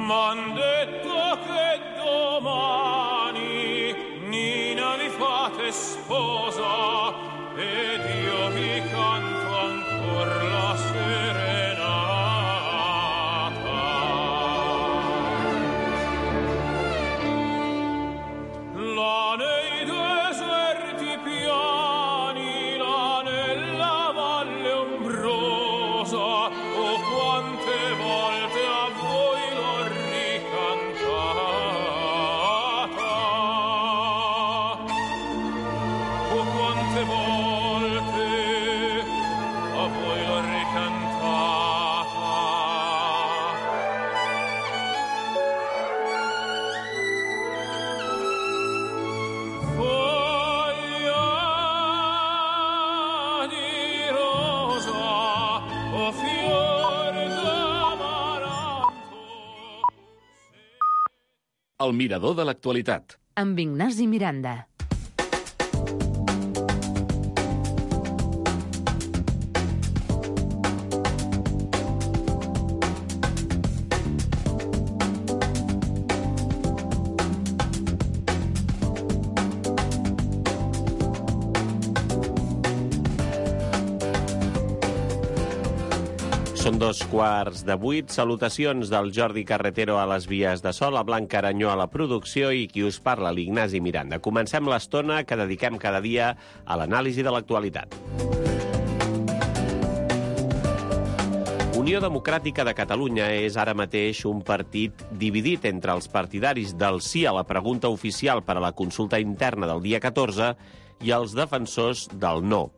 M'han detto che domani Nina vi fate sposa ed io vi canto ancor la serenata. Là nei deserti piani, là nella valle ombrosa, oh quante volte a voi l'ho ricantata, oh quante volte a voi l'ho ricantata. Foglia di rosa, oh fior d'amaranto. El mirador de l'actualitat. Amb Ignasi Miranda. Són 7:45. Salutacions del Jordi Carretero a les vies de so, la Blanca Aranyó a la producció i qui us parla, l'Ignasi Miranda. Comencem l'estona que dediquem cada dia a l'anàlisi de l'actualitat. Unió Democràtica de Catalunya és ara mateix un partit dividit entre els partidaris del sí a la pregunta oficial per a la consulta interna del dia 14 i els defensors del no.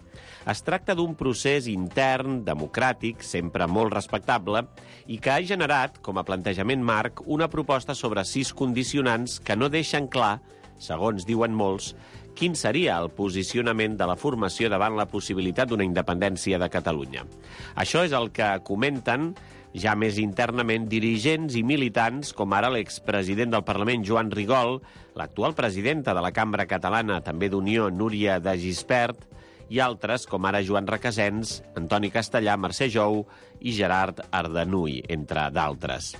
Es tracta d'un procés intern, democràtic, sempre molt respectable, i que ha generat, com a plantejament marc, una proposta sobre 6 condicionants que no deixen clar, segons diuen molts, quin seria el posicionament de la formació davant la possibilitat d'una independència de Catalunya. Això és el que comenten ja més internament dirigents i militants, com ara l'expresident del Parlament, Joan Rigol, l'actual presidenta de la Cambra Catalana, també d'Unió, Núria de Gispert, i altres, com ara Joan Requesens, Antoni Castellà, Mercè Jou i Gerard Ardanuy, entre d'altres.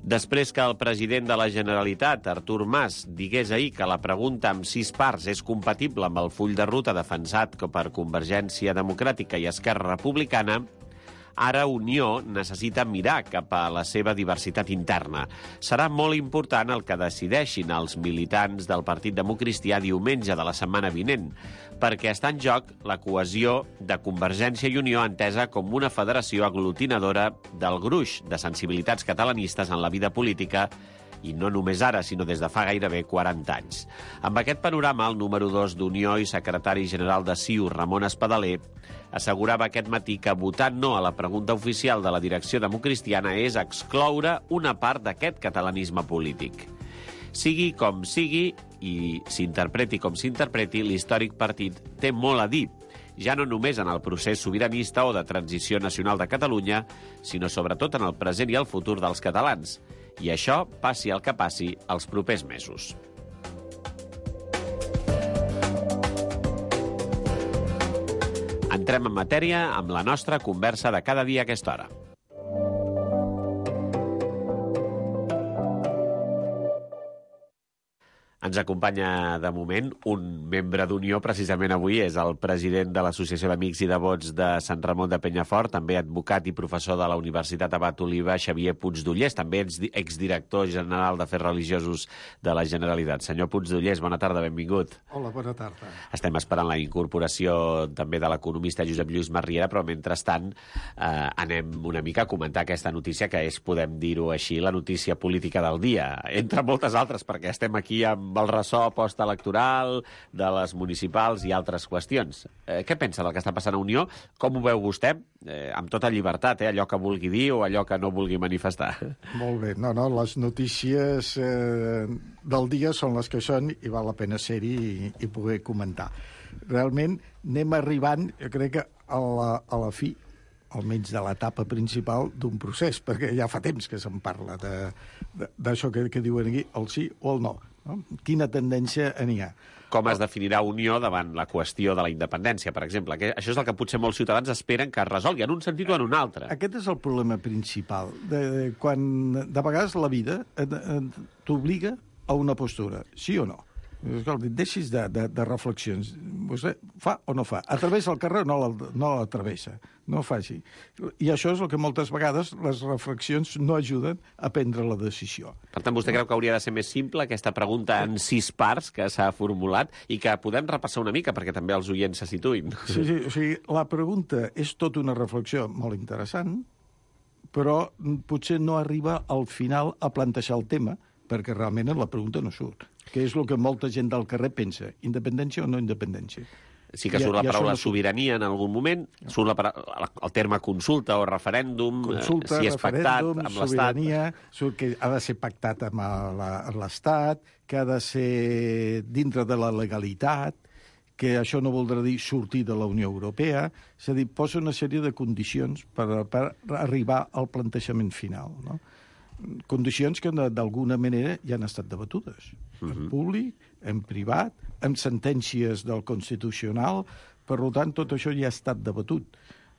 Després que el president de la Generalitat, Artur Mas, digués ahir que la pregunta amb 6 parts és compatible amb el full de ruta defensat per Convergència Democràtica i Esquerra Republicana, ara Unió necessita mirar cap a la seva diversitat interna. Serà molt important el que decideixin els militants del Partit Democristià diumenge de la setmana vinent, perquè està en joc la cohesió de Convergència i Unió entesa com una federació aglutinadora del gruix de sensibilitats catalanistes en la vida política, i no només ara, sinó des de fa gairebé 40 anys. Amb aquest panorama, el número 2 d'Unió i secretari general de CiU, Ramon Espadaler, assegurava aquest matí que votar no a la pregunta oficial de la direcció democristiana és excloure una part d'aquest catalanisme polític. Sigui com sigui i s'interpreti com s'interpreti, l'històric partit té molt a dir, ja no només en el procés sobiranista o de transició nacional de Catalunya, sinó sobretot en el present i el futur dels catalans. I això, passi el que passi, els propers mesos. Entrem en matèria amb la nostra conversa de cada dia a aquesta hora. Ens acompanya de moment un membre d'Unió, precisament avui, és el president de l'Associació d'Amics i Devots de Sant Ramon de Penyafort, també advocat i professor de la Universitat Abat Oliva, Xavier Puigdollers, també exdirector general d'Afers Religiosos de la Generalitat. Senyor Puigdollers, bona tarda, benvingut. Hola, bona tarda. Estem esperant la incorporació també de l'economista Josep Lluís Marriera, però mentrestant anem una mica a comentar aquesta notícia que és, podem dir-ho així, la notícia política del dia, entre moltes altres, perquè estem aquí amb el ressò postelectoral de les municipals i altres qüestions. Què pensa del que està passant a Unió? Com ho veu vostè? Amb tota llibertat, allò que vulgui dir o allò que no vulgui manifestar. Molt bé. No, les notícies del dia són les que són i val la pena ser-hi i poder comentar. Realment anem arribant, jo crec que a la fi, almenys de l'etapa principal d'un procés, perquè ja fa temps que se'n parla d'això que diuen aquí, el sí o el no. Quina tendència n'hi ha? Com es definirà Unió davant la qüestió de la independència, per exemple? Això és el que potser molts ciutadans esperen que es resolgui en un sentit o en un altre. Aquest és el problema principal. Quan de vegades la vida t'obliga a una postura, sí o no? Escolta, deixis de reflexions. Vostè fa o no fa? A través del carrer no l'atravessa. No faci. I això és el que moltes vegades les reflexions no ajuden a prendre la decisió. Per tant, vostè creu que hauria de ser més simple aquesta pregunta en 6 parts que s'ha formulat i que podem repassar una mica perquè també els oients se situïn? Sí, o sigui, la pregunta és tota una reflexió molt interessant, però potser no arriba al final a plantejar el tema, perquè realment la pregunta no surt, que és el que molta gent del carrer pensa, independència o no independència. Sí que surt la paraula sobirania en algun moment, surt el terme consulta o referèndum, si és pactat amb l'Estat. Sobirania, surt que ha de ser pactat amb l'Estat, que ha de ser dintre de la legalitat, que això no voldrà dir sortir de la Unió Europea, és a dir, posa una sèrie de condicions per arribar al plantejament final, no? Condicions que d'alguna manera ja han estat debatudes en públic, en privat, en sentències del Constitucional. Per tant, tot això ja ha estat debatut.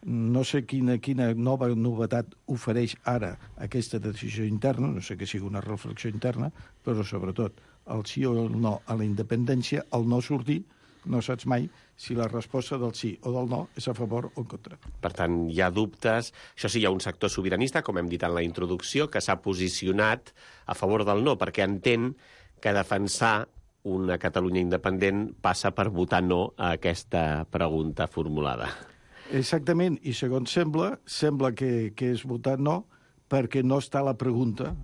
No sé quina nova novetat ofereix ara aquesta decisió interna, no sé que sigui una reflexió interna, però sobretot el sí o el no a la independència, el no sortir, no saps mai si la resposta del sí o del no és a favor o en contra. Per tant, hi ha dubtes. Això sí, hi ha un sector sobiranista, com hem dit en la introducció, que s'ha posicionat a favor del no, perquè entén que defensar una Catalunya independent passa per votar no a aquesta pregunta formulada. Exactament, i segons sembla que és votar no perquè no està la pregunta.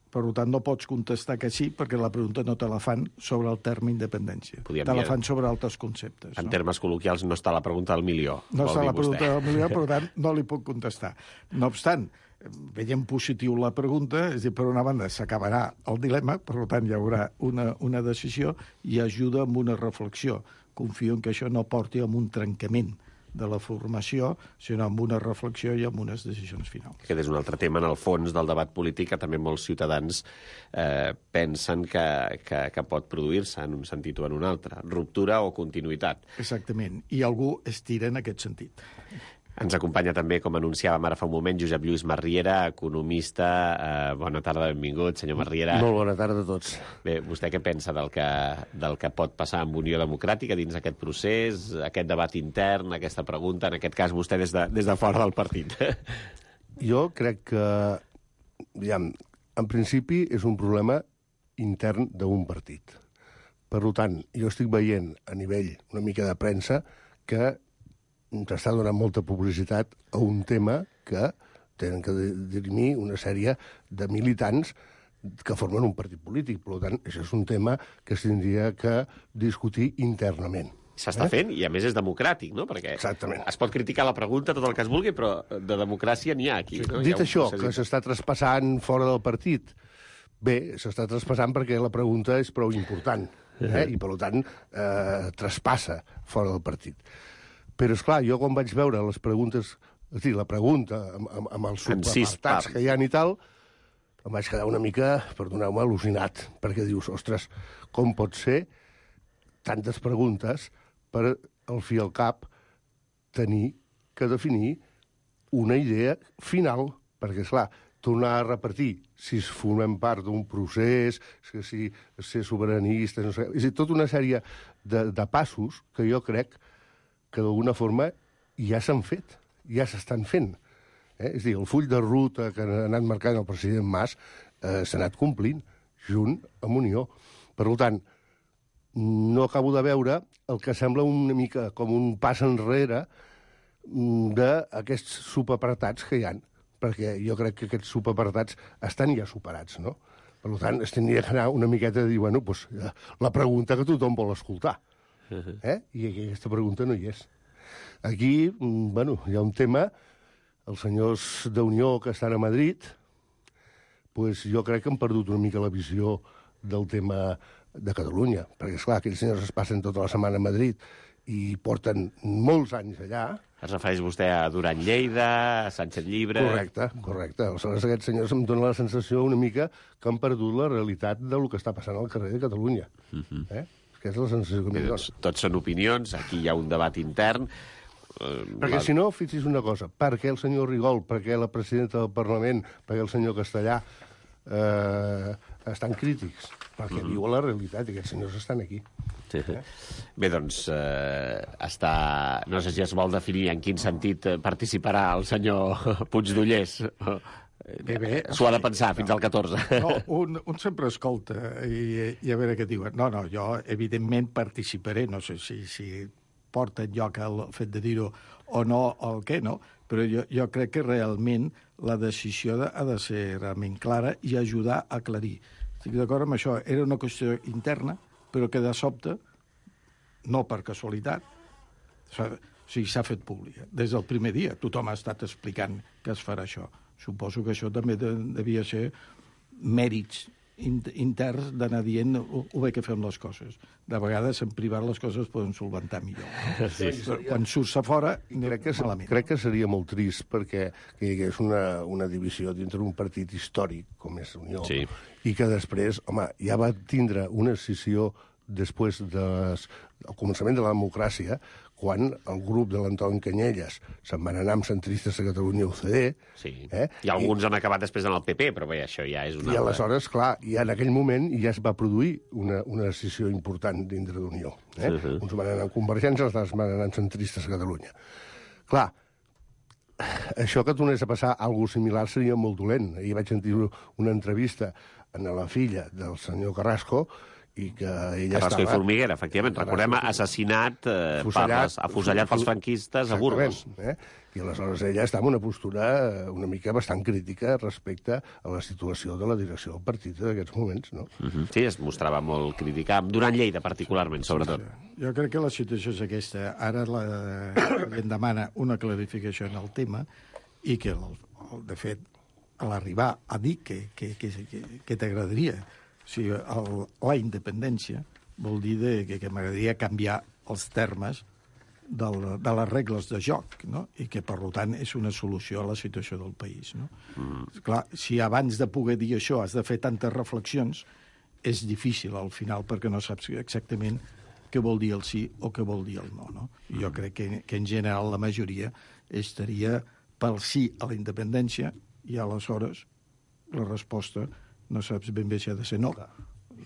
Per tant, no pots contestar que sí perquè la pregunta no te la fan sobre el terme independència. Te la fan sobre altres conceptes. En termes col·loquials, no està la pregunta del milió. No està la pregunta del milió, per tant, no li puc contestar. No obstant, veiem positiu la pregunta, és a dir, per una banda s'acabarà el dilema, per tant hi haurà una decisió i ajuda amb una reflexió. Confio en que això no porti a un trencament de la formació, sinó amb una reflexió i amb unes decisions finals. Aquest és un altre tema, en el fons del debat polític, que també molts ciutadans pensen que pot produir-se en un sentit o en un altre. Ruptura o continuïtat. Exactament, i algú estira en aquest sentit. Ens acompanya també, com anunciàvem ara fa un moment, Josep Lluís Masriera, economista. Bona tarda, benvingut, senyor Masriera. Molt bona tarda a tots. Bé, vostè què pensa del que pot passar amb Unió Democràtica dins aquest procés, aquest debat intern, aquesta pregunta, en aquest cas vostè des de fora del partit? Jo crec que, en principi, és un problema intern d'un partit. Per tant, jo estic veient a nivell una mica de premsa que s'està donant molta publicitat a un tema que tenen que dirimir una sèrie de militants que formen un partit polític. Per tant, això és un tema que s'hauria que discutir internament. S'està fent, i a més és democràtic, no? Perquè exactament. Es pot criticar la pregunta tot el que es vulgui, però de democràcia n'hi ha aquí. No? Dit això, que s'està traspassant fora del partit, bé, s'està traspassant perquè la pregunta és prou important, i per tant traspassa fora del partit. Però, esclar, jo quan vaig veure les preguntes, és a dir, la pregunta amb els subapartats que hi ha i tal, em vaig quedar una mica, perdoneu-me, al·lucinat, perquè dius, ostres, com pot ser tantes preguntes per al fi al cap tenir que definir una idea final, perquè, esclar, tornar a repetir si formem part d'un procés, si ser sobiranistes, no sé, és a dir, tota una sèrie de passos que jo crec que d'alguna forma ja s'han fet, ja s'estan fent. És a dir, el full de ruta que ha anat marcant el president Mas s'ha anat complint, junt amb Unió. Per tant, no acabo de veure el que sembla una mica com un pas enrere d'aquests subapartats que hi ha, perquè jo crec que aquests subapartats estan ja superats, no? Per tant, es tindria que anar una miqueta a dir, bueno, doncs, la pregunta que tothom vol escoltar. I aquesta pregunta no hi és. Aquí, bueno, hi ha un tema, els senyors d'Unió que estan a Madrid, doncs jo crec que han perdut una mica la visió del tema de Catalunya, perquè, esclar, aquells senyors es passen tota la setmana a Madrid i porten molts anys allà. Es refereix vostè a Duran Lleida, a Sánchez Llibre... Correcte. Aleshores, aquests senyors em donen la sensació una mica que han perdut la realitat del que està passant al carrer de Catalunya. Que és la sensació que m'hi dona. Tots són opinions, aquí hi ha un debat intern. Perquè si no, fixi's una cosa, per què el senyor Rigol, per què la presidenta del Parlament, per què el senyor Castellà estan crítics? Perquè viuen la realitat i aquests senyors estan aquí. Bé, doncs, no sé si es vol definir en quin sentit participarà el senyor Puigdollers. Bé, s'ho ha de pensar fins al 14. No, un sempre escolta i a veure què diuen. No, jo evidentment participaré, no sé si porta enlloc el fet de dir-ho o no, el què, no? Però jo crec que realment la decisió ha de ser realment clara i ajudar a aclarir. Estic d'acord amb això. Era una qüestió interna, però que de sobte, no per casualitat, s'ha fet pública. Des del primer dia tothom ha estat explicant que es farà això. Suposo que això també devia ser mèrits interns d'anar dient ho bé que fem les coses. De vegades, en privat, les coses poden solventar millor. No? Sí. Quan surts a fora, malament. Crec que seria molt trist perquè hi hagués una divisió dintre d'un partit històric, com és Unió, i que després, home, ja va tindre una escissió després el començament de la democràcia, quan el grup de l'Antoni Canyelles se'n van anar amb centristes de Catalunya UCD. Sí. I alguns han acabat després en el PP, però bé, això ja és una... I aleshores, clar, i en aquell moment ja es va produir una decisió important dintre d'Unió. Uns van anar amb Convergència, els altres van anar amb centristes a Catalunya. Clar, això que tornés a passar alguna similar seria molt dolent. Ahir vaig sentir una entrevista a la filla del senyor Carrasco i que ella Carrasco i Formiguera, efectivament. Recordem, assassinat, afusellat pels franquistes a Burgos. I aleshores ella està en una postura una mica bastant crítica respecte a la situació de la direcció del partit d'aquests moments, no? Sí, es mostrava molt crítica, durant Lleida particularment, sobretot. Jo crec que la situació és aquesta. Ara em demana una clarificació en el tema i que, de fet, a l'arribar a dir que t'agradaria, o sigui, la independència vol dir que m'agradaria canviar els termes de les regles de joc, no? I que, per tant, és una solució a la situació del país, no? Clar, si abans de poder dir això has de fer tantes reflexions, és difícil al final, perquè no saps exactament què vol dir el sí o què vol dir el no, no? I jo crec que en general la majoria estaria pel sí a la independència i aleshores la resposta no saps ben bé si ha de ser no.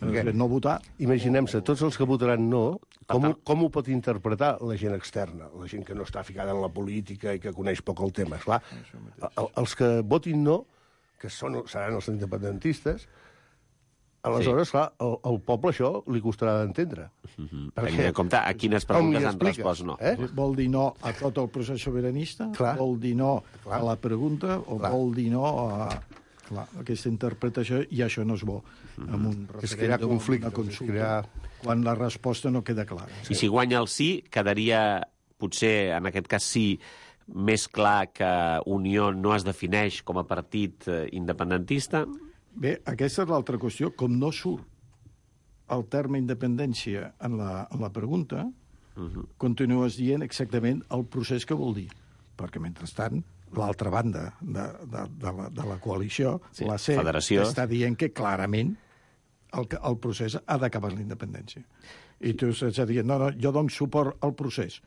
No votar. Imaginem-se, tots els que votaran no, com ho pot interpretar la gent externa, la gent que no està ficada en la política i que coneix poc el tema? Esclar, els que votin no, que seran els independentistes, aleshores, clar, al poble això li costarà d'entendre. Tenint en compte a quines preguntes han respost no. Vol dir no a tot el procés sobiranista? Vol dir no a la pregunta? O vol dir no a... Clar, aquesta interpretació, i això no és bo, amb un referèndum, una consulta, quan la resposta no queda clara. I si guanya el sí, quedaria, potser, en aquest cas sí, més clar que Unió no es defineix com a partit independentista? Bé, aquesta és l'altra qüestió. Com no surt el terme independència en la pregunta, continues dient exactament el procés que vol dir. Perquè, mentrestant, l'altra banda de la coalició, la CEP, està dient que clarament el procés ha d'acabar la independència. I tu estàs dient, no, jo dono suport al procés.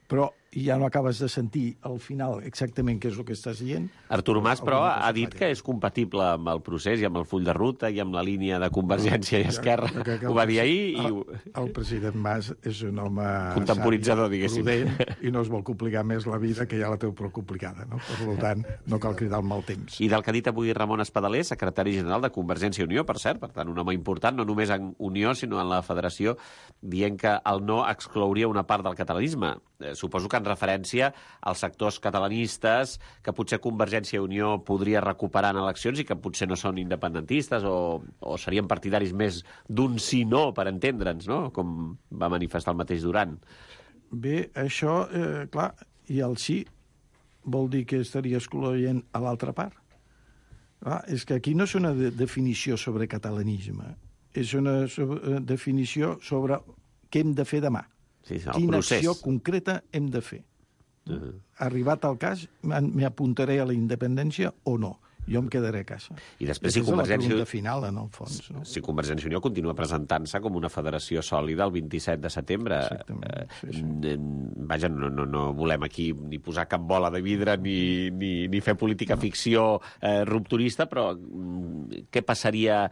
Però ja no acabes de sentir al final exactament què és el que estàs dient. Artur Mas, però, ha dit que és compatible amb el procés i amb el full de ruta i amb la línia de Convergència i Esquerra. Ho va dir ahir. El president Mas és un home contemporitzador, diguéssim, prudent, i no es vol complicar més la vida, que ja la té prou complicada, no? Per tant, no cal cridar el mal temps. I del que ha dit avui Ramon Espadaler, secretari general de Convergència i Unió, per cert, per tant, un home important, no només en Unió, sinó en la Federació, dient que el no exclouria una part del catalanisme. Suposo que en referència als sectors catalanistes que potser Convergència i Unió podria recuperar en eleccions i que potser no són independentistes o serien partidaris més d'un sí-no, per entendre'ns, no? Com va manifestar el mateix Duran. Bé, això, clar, i el sí vol dir que estaria excloent a l'altra part. Clar, és que aquí no és una definició sobre catalanisme, és una definició sobre què hem de fer demà. Sí, quina acció concreta hem de fer. Arribat al cas, m'apuntaré a la independència o no. Jo em quedaré a casa. I després, si Convergència... És la pregunta final, en el fons. No? Si Convergència i Unió continua presentant-se com una federació sòlida el 27 de setembre. Vaja, no volem aquí ni posar cap bola de vidre ni fer política ficció rupturista, però què passaria...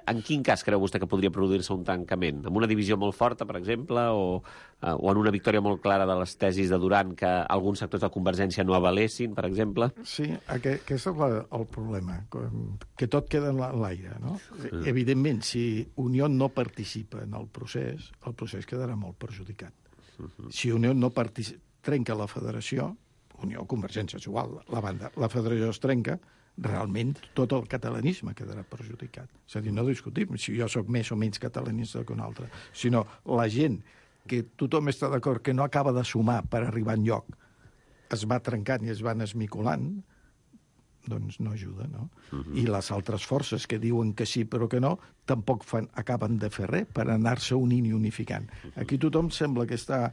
En quin cas creu vostè que podria produir-se un tancament? En una divisió molt forta, per exemple, o en una victòria molt clara de les tesis de Duran que alguns sectors de Convergència no avalessin, per exemple? Sí, aquest és el problema, que tot queda en l'aire, no? Evidentment, si Unió no participa en el procés quedarà molt perjudicat. Si Unió no trenca la federació, Unió, Convergència, és igual, la federació es trenca, realment tot el catalanisme quedarà perjudicat. És a dir, no discutim si jo sóc més o menys catalanista que un altre, sinó la gent que tothom està d'acord que no acaba de sumar per arribar enlloc, es va trencant i es van esmicolant, doncs no ajuda, no? I les altres forces que diuen que sí però que no, tampoc acaben de fer res per anar-se unint i unificant. Aquí tothom sembla que està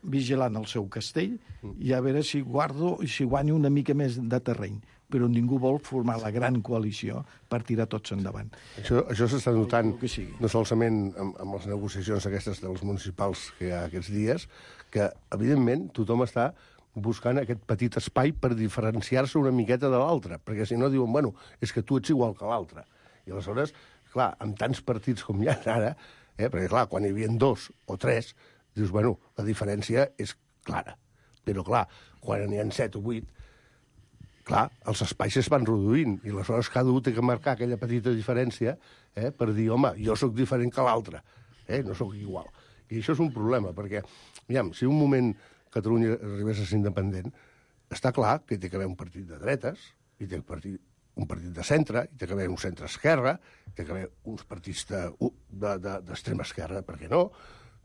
vigilant el seu castell i a veure si guanyo una mica més de terreny. però ningú vol formar la gran coalició per tirar tots endavant. Això s'està notant que sigui. no solament amb les negociacions aquestes dels municipals que hi ha aquests dies, que, evidentment, tothom està buscant aquest petit espai per diferenciar-se una miqueta de l'altre, perquè si no diuen, bueno, és que tu ets igual que l'altre. I aleshores, clar, amb tants partits com hi ha ara, perquè, clar, quan hi havia 2 o 3, dius, bueno, la diferència és clara. Però, clar, quan n'hi ha 7 o 8, clar, els espais es van reduint i aleshores cada un té que marcar aquella petita diferència per dir, home, jo sóc diferent que l'altre, no sóc igual. I això és un problema, perquè, aviam, si un moment Catalunya arribés a ser independent, està clar que hi té que haver un partit de dretes, hi té que haver un partit de centre, hi té que haver un centre-esquerra, hi té que haver uns partits d'extrema esquerra, per què no?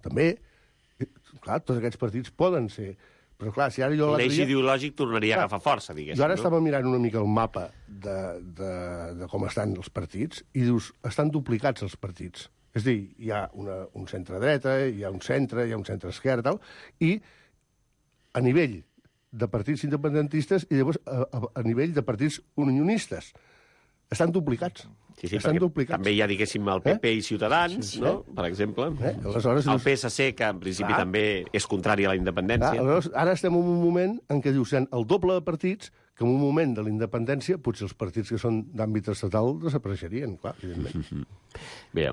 També, clar, tots aquests partits poden ser. Però, clar, si ara jo l'eix ideològic tornaria a agafar força, diguéssim. Jo ara estava mirant una mica el mapa de com estan els partits i dius, estan duplicats els partits. És a dir, hi ha un centre-dreta, hi ha un centre-esquerra, i a nivell de partits independentistes i llavors a nivell de partits unionistes. Estan duplicats. Sí, també hi ha, diguéssim, el PP i Ciutadans, no? Per exemple. Aleshores, el PSC, que en principi també és contrari a la independència. Aleshores, ara estem en un moment en què dius, el doble de partits, que en un moment de la independència potser els partits que són d'àmbit estatal desapareixerien, clar, evidentment. Bé,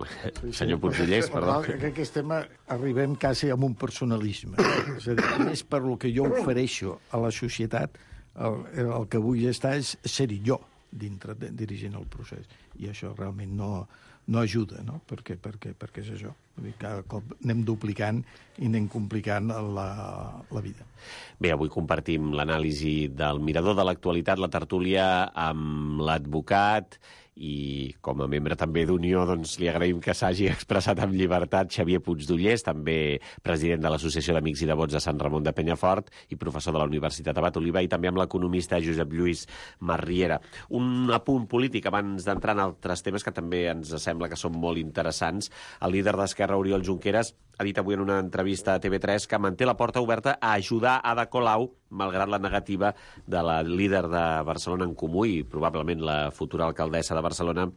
senyor Puigdellers, perdó. Que aquest tema arribem quasi a un personalisme. És a dir, més per lo que jo ofereixo a la societat, el que vull estar és ser-hi jo dintre, dirigint el procés. I això realment no ajuda, no? Perquè és això. Vull dir, cada cop anem duplicant i anem complicant la vida. Bé, avui compartim l'anàlisi del Mirador de l'actualitat, la tertúlia amb l'advocat i com a membre també d'Unió doncs, li agraïm que s'hagi expressat amb llibertat Xavier Puigdollers, també president de l'Associació d'Amics i Devots de Sant Ramon de Penyafort i professor de la Universitat Abat Oliva, i també amb l'economista Josep Lluís Masriera. Un apunt polític abans d'entrar en altres temes que també ens sembla que són molt interessants. El líder d'Esquerra, Oriol Junqueras, ha dit avui en una entrevista a TV3 que manté la porta oberta a ajudar Ada Colau, malgrat la negativa de la líder de Barcelona en Comú i probablement la futura alcaldessa de Barcelona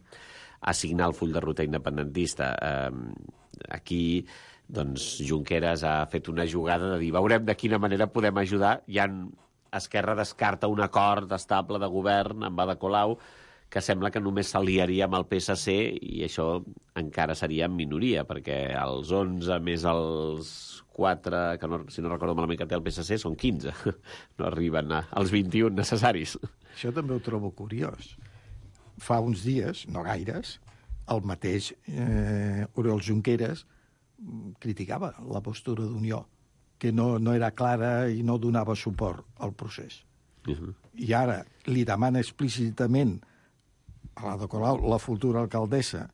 a signar el full de ruta independentista. Aquí, doncs, Junqueras ha fet una jugada de dir veurem de quina manera podem ajudar. Esquerra descarta un acord estable de govern amb Ada Colau que sembla que només s'aliaria amb el PSC i això encara seria en minoria, perquè els 11 més els 4, que no, si no recordo malament que té el PSC, són 15. No arriben als 21 necessaris. Això també ho trobo curiós. Fa uns dies, no gaires, el mateix Oriol Junqueras criticava la postura d'Unió, que no era clara i no donava suport al procés. I ara li demana explícitament a l'Ada Colau, la futura alcaldessa,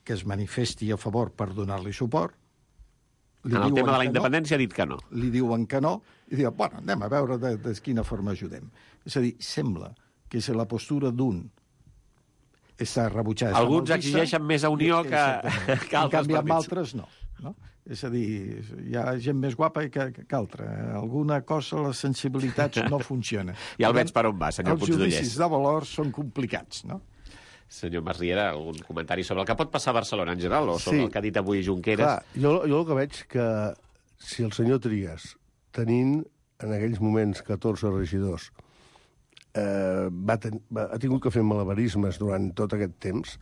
que es manifesti a favor per donar-li suport. En el tema de la independència ha dit que no. Li diuen que no, i diuen, bueno, anem a veure de quina forma ajudem. És a dir, sembla que si la postura d'un està rebutjada... Alguns exigeixen més a Unió que altres partits. En canvi, amb altres no. És a dir, hi ha gent més guapa que altra. Alguna cosa, les sensibilitats no funcionen. Ja el veig per on va, senyor Puigdollers. Els judicis de valors són complicats, no? Senyor Masriera, algun comentari sobre el que pot passar a Barcelona en general o sobre el que ha dit avui Junqueras? Clar, jo el que veig que si el senyor Trias, tenint en aquells moments 14 regidors, ha tingut que fer malabarismes durant tot aquest temps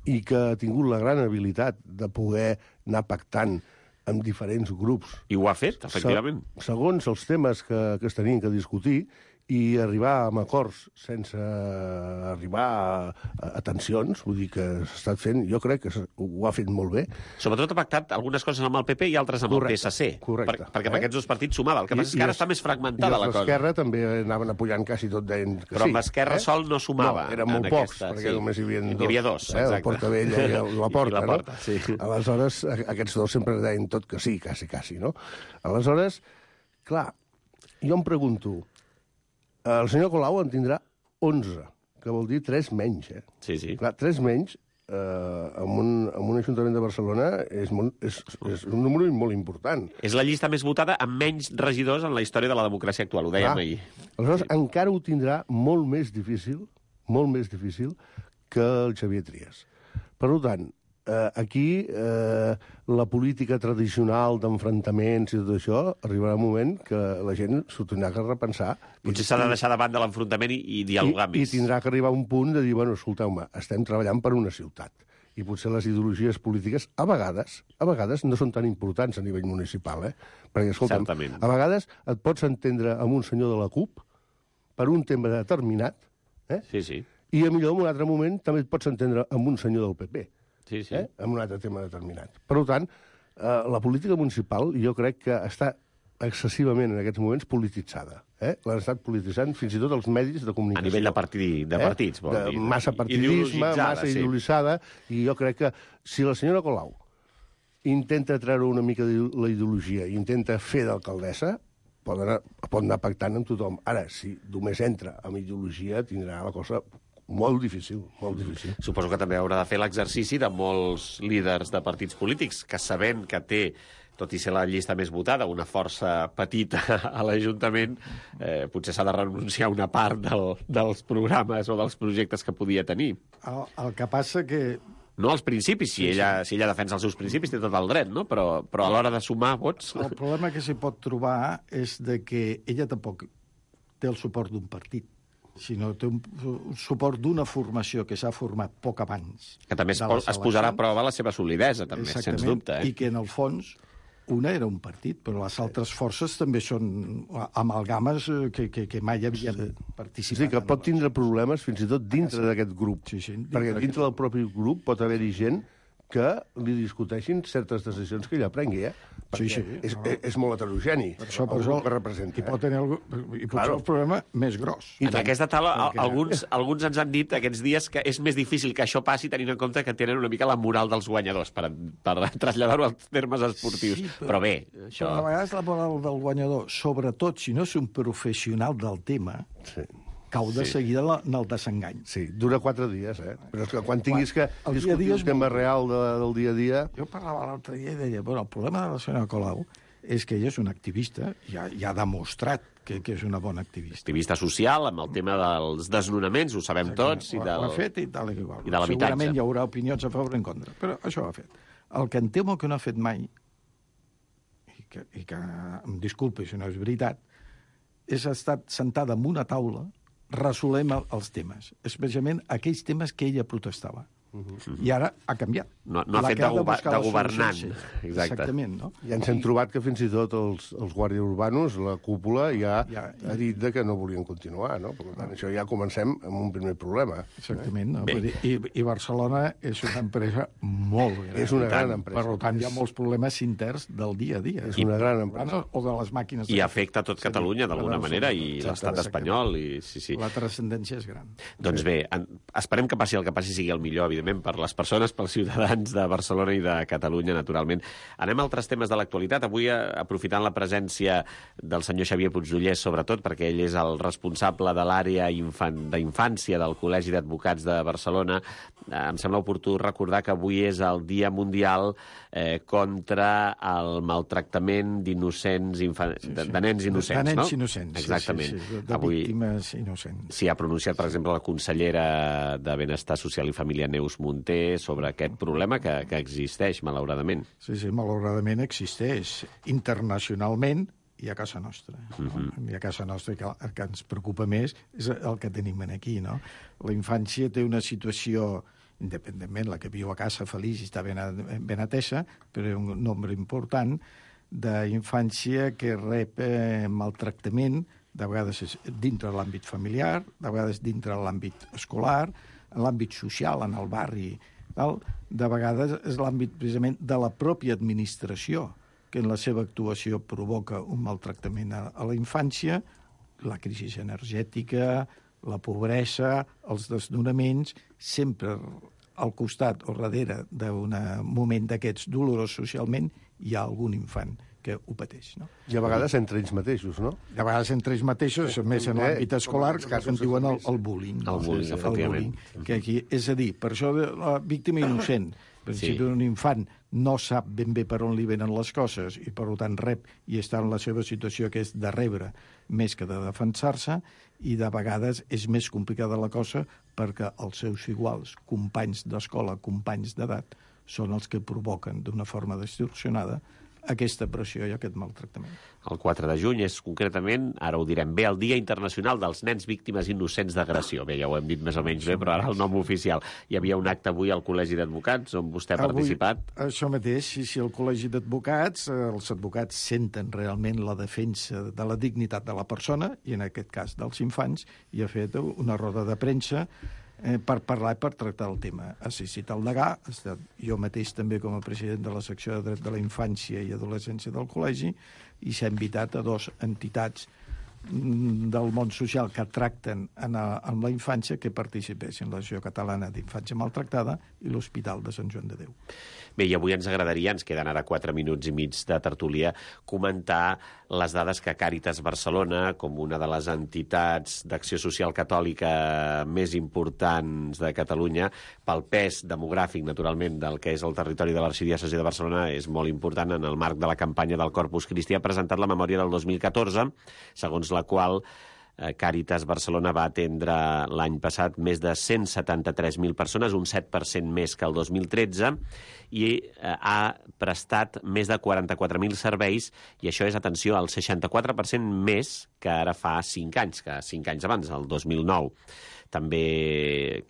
i que ha tingut la gran habilitat de poder anar pactant amb diferents grups. I ho ha fet, efectivament. Segons els temes que es tenien que discutir i arribar a acords sense arribar a tensions, vull dir que s'ha estat fent, jo crec que ho ha fet molt bé. Sobretot ha pactat algunes coses amb el PP i altres amb el PSC. Correcte. Perquè per aquests dos partits sumava. El que passa és que ara està més fragmentada la cosa. I l'Esquerra també anaven apujant quasi tot deien que sí. Però amb Esquerra sol no sumava. No, eren molt pocs, perquè només hi havia dos. Hi havia dos, exacte. El Portavella i la Porta, no? Sí. Aleshores, aquests dos sempre deien tot que sí, quasi, no? Aleshores, clar, jo em pregunto, el senyor Colau en tindrà 11, que vol dir 3 menys, Sí. Clar, 3 menys, en un Ajuntament de Barcelona és un número molt important. És la llista més votada amb menys regidors en la història de la democràcia actual, ho dèiem ahir. Aleshores, encara ho tindrà molt més difícil que el Xavier Trias. Per tant, aquí la política tradicional d'enfrontaments i tot això arribarà un moment que la gent s'ho tindrà que repensar. Potser s'ha de deixar de banda l'enfrontament i dialogar més. I tindrà que arribar a un punt de dir, bueno, escolteu-me, estem treballant per una ciutat. I potser les ideologies polítiques, a vegades no són tan importants a nivell municipal, Perquè, escolta'm, certament. A vegades et pots entendre amb un senyor de la CUP per un tema determinat, Sí. I a millor en un altre moment també et pots entendre amb un senyor del PP. Sí. En un altre tema determinat. Per tant, la política municipal jo crec que està excessivament en aquests moments polititzada. L'han estat polititzant fins i tot els medis de comunicació. A nivell de partits, vol dir. Massa partidisme, massa ideologitzada, i jo crec que si la senyora Colau intenta treure una mica de la ideologia i intenta fer d'alcaldessa, pot anar pactant amb tothom. Ara, si només entra amb ideologia, tindrà la cosa molt difícil, molt difícil. Suposo que també haurà de fer l'exercici de molts líders de partits polítics que, sabent que té, tot i ser la llista més votada, una força petita a l'Ajuntament, potser s'ha de renunciar a una part dels programes o dels projectes que podia tenir. El que passa que... No als principis, si ella defensa els seus principis, té tot el dret, no? Però a l'hora de sumar vots... El problema que s'hi pot trobar és de que ella tampoc té el suport d'un partit, sinó té un suport d'una formació que s'ha format poc abans. Que també es posarà a prova la seva solidesa, també, sens dubte. I que, en el fons, una era un partit, però les altres forces també són amalgames que mai havien participat. Sí, que pot tindre problemes fins i tot dintre d'aquest grup. Perquè dintre del propi grup pot haver-hi gent que li discuteixin certes decisions que ella prengui, perquè és molt heterogeni, el grup que representa. I pot tenir el problema més gros. En aquesta taula, alguns ens han dit aquests dies que és més difícil que això passi tenint en compte que tenen una mica la moral dels guanyadors, per traslladar-ho als termes esportius. Però bé, això... Però a vegades la moral del guanyador, sobretot si no és un professional del tema... cau de seguida en el desengany. Sí, dura 4 dies, Però és que quan tinguis que discutir el tema real del dia a dia... Jo parlava l'altre dia i deia, bueno, el problema de la senyora Colau és que ella és una activista, i ha demostrat que és una bona activista. Activista social, amb el tema dels desnonaments, ho sabem tots, i ho ha fet i tal i igual. I de l'habitatge. Segurament hi haurà opinions a favor i en contra, però això ho ha fet. El que em temo que no ha fet mai, i que em disculpi si no és veritat, és estar sentada en una taula resolem els temes, especialment aquells temes que ella protestava. I ara ha canviat. No ha fet de governant. Exactament, no? I ens hem trobat que fins i tot els guàrdies urbanos, la cúpula, ja ha dit que no volien continuar, no? Per tant, això ja comencem amb un primer problema. Exactament. No? I Barcelona és una empresa molt gran. És una gran empresa. Per tant, hi ha molts problemes interns del dia a dia. És una gran empresa. O de les màquines. I afecta tot Catalunya, d'alguna manera, i l'estat espanyol. La transcendència és gran. Doncs bé, esperem que passi el que passi sigui el millor, evidentment, per les persones, pels ciutadans de Barcelona i de Catalunya, naturalment. Anem a altres temes de l'actualitat. Avui, aprofitant la presència del senyor Xavier Puigdollers, sobretot, perquè ell és el responsable de l'àrea d'infància del Col·legi d'Advocats de Barcelona, em sembla oportú recordar que avui és el Dia Mundial contra el maltractament d'innocents, de nens innocents, no? De nens innocents, exactament. Sí, de víctimes innocents. S'hi ha pronunciat, per exemple, la consellera de Benestar Social i Família, Neus Munté, sobre aquest problema que existeix, malauradament. Sí, malauradament existeix internacionalment i a casa nostra. I a casa nostra el que ens preocupa més és el que tenim aquí, no? La infància té una situació, independentment, la que viu a casa feliç i està ben atesa, però un nombre important d'infància que rep maltractament, de vegades dintre l'àmbit familiar, de vegades dintre l'àmbit escolar, en l'àmbit social, en el barri, de vegades és l'àmbit precisament de la pròpia administració, que en la seva actuació provoca un maltractament a la infància, la crisi energètica, la pobresa, els desnonaments, sempre al costat o darrere d'un moment d'aquests dolorós socialment hi ha algun infant que ho pateix. No? I a vegades entre ells mateixos, no? A vegades entre ells mateixos, més en l'àmbit escolar, que en diuen el bullying. El bullying, efectivament. Que aquí, és a dir, per això la víctima innocent, per exemple, un infant no sap ben bé per on li venen les coses i, per tant, rep i està en la seva situació que és de rebre més que de defensar-se, i de vegades és més complicada la cosa perquè els seus iguals, companys d'escola, companys d'edat, són els que provoquen d'una forma distorsionada aquesta pressió i aquest maltractament. El 4 de juny és concretament, ara ho direm bé, el Dia Internacional dels Nens Víctimes Innocents d'Agressió. Bé, ja ho hem dit més o menys bé, però ara el nom oficial. Hi havia un acte avui al Col·legi d'Advocats on vostè ha participat. Això mateix, si el Col·legi d'Advocats, els advocats senten realment la defensa de la dignitat de la persona, i en aquest cas dels infants, i ha fet una roda de premsa per parlar i per tractar el tema. Ha assistit el degà, jo mateix també com a president de la secció de dret de la infància i adolescència del col·legi, i s'ha invitat a 2 entitats del món social que tracten amb la infància que participessin, l'Associació Catalana d'Infància Maltractada i l'Hospital de Sant Joan de Déu. Bé, i avui ens agradaria, ens queden ara 4 minuts i mig de tertúlia, comentar les dades que Càritas Barcelona, com una de les entitats d'acció social catòlica més importants de Catalunya, pel pes demogràfic, naturalment, del que és el territori de l'arxidiòcesi de Barcelona, és molt important en el marc de la campanya del Corpus Christi, ha presentat la memòria del 2014, segons la qual Càritas Barcelona va atendre l'any passat més de 173.000 persones, un 7% més que el 2013, i ha prestat més de 44.000 serveis, i això és, atenció, el 64% més que ara fa 5 anys, que 5 anys abans, el 2009. També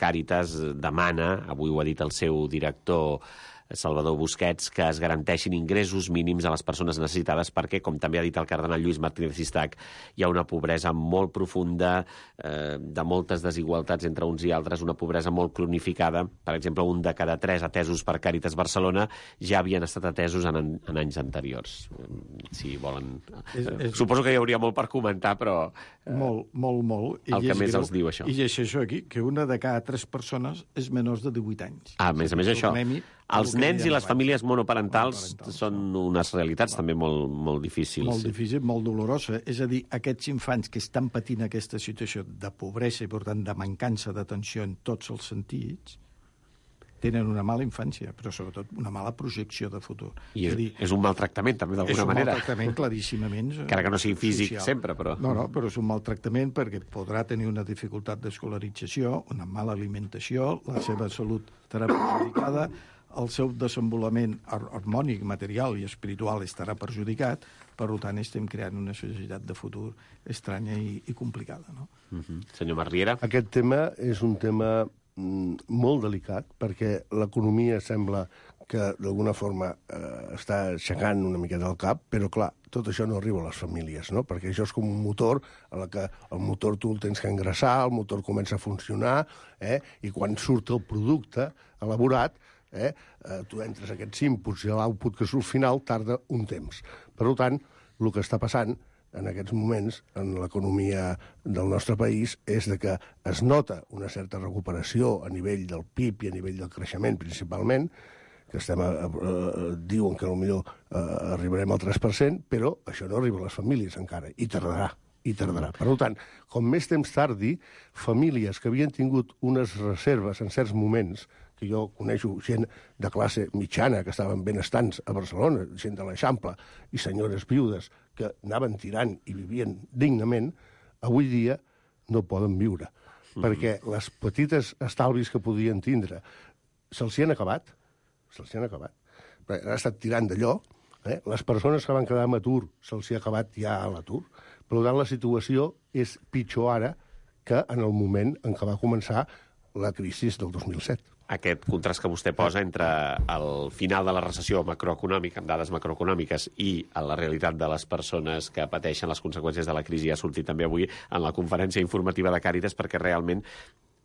Càritas demana, avui ho ha dit el seu director Salvador Busquets, que es garanteixin ingressos mínims a les persones necessitades perquè, com també ha dit el cardenal Lluís Martínez Sistac, hi ha una pobresa molt profunda, de moltes desigualtats entre uns i altres, una pobresa molt cronificada. Per exemple, 1 de cada 3 atesos per Càritas Barcelona ja havien estat atesos en anys anteriors. Si volen... Suposo que hi hauria molt per comentar, però... Molt. El que més els diu, això. I llegeixo aquí que 1 de cada 3 persones és menors de 18 anys. A més això... Els nens i les famílies monoparentals són unes realitats també molt difícils. Molt difícil, molt dolorosa. És a dir, aquests infants que estan patint aquesta situació de pobresa i, per tant, de mancança d'atenció en tots els sentits, tenen una mala infància, però sobretot una mala projecció de futur. I és un maltractament, també, d'alguna manera. És un maltractament, claríssimament. Encara que no sigui físic social. Sempre, però... No, però és un maltractament perquè podrà tenir una dificultat d'escolarització, una mala alimentació, la seva salut estarà perjudicada, el seu desenvolupament harmònic, material i espiritual estarà perjudicat, per tant estem creant una societat de futur estranya i complicada. No? Senyor Masriera? Aquest tema és un tema molt delicat, perquè l'economia sembla que d'alguna forma està aixecant una miqueta el cap, però clar, tot això no arriba a les famílies, no? Perquè això és com un motor, en què el motor tu el tens que engraçar, el motor comença a funcionar, i quan surt el producte elaborat, tu entres aquests inputs i l'output que surt final tarda un temps. Per tant, el que està passant en aquests moments en l'economia del nostre país és de que es nota una certa recuperació a nivell del PIB i a nivell del creixement principalment, que diuen que potser arribarem al 3%, però això no arriba a les famílies encara, i tardarà. Per tant, com més temps tardi, famílies que havien tingut unes reserves en certs moments, que jo coneixo gent de classe mitjana que estaven benestants a Barcelona, gent de l'Eixample, i senyores viudes que anaven tirant i vivien dignament, avui dia no poden viure, perquè les petites estalvis que podien tindre se'ls hi han acabat. Han estat tirant d'allò. Les persones que van quedar en atur se'ls hi ha acabat ja a l'atur. Per tant, la situació és pitjor ara que en el moment en què va començar la crisi del 2007. Aquest contrast que vostè posa entre el final de la recessió macroeconòmica, amb dades macroeconòmiques, i la realitat de les persones que pateixen les conseqüències de la crisi ha sortit també avui en la conferència informativa de Càritas, perquè realment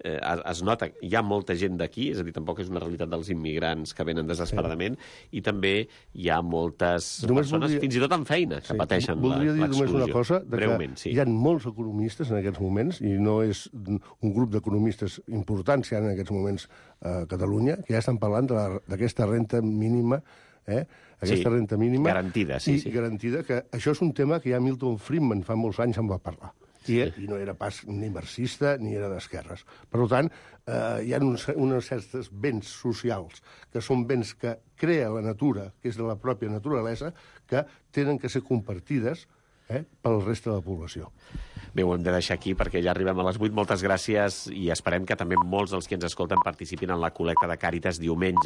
es nota, hi ha molta gent d'aquí, és a dir, tampoc és una realitat dels immigrants que venen desesperadament, i també hi ha moltes persones, fins i tot amb feina, que pateixen l'exclusió. Voldria dir només una cosa, breument, hi ha molts economistes en aquests moments, i no és un grup d'economistes importants que hi ha en aquests moments a Catalunya, que ja estan parlant d'aquesta renta mínima aquesta renta mínima. Garantida, sí. Garantida, que això és un tema que ja Milton Friedman fa molts anys en va parlar. I no era pas ni marxista ni era d'esquerres. Per tant, hi ha uns certs béns socials que són béns que crea la natura, que és de la pròpia naturalesa, que tenen que ser compartides pel reste de la població. Bé, ho hem de deixar aquí perquè ja arribem a les 8. Moltes gràcies i esperem que també molts dels que ens escolten participin en la col·lecta de Càritas diumenge.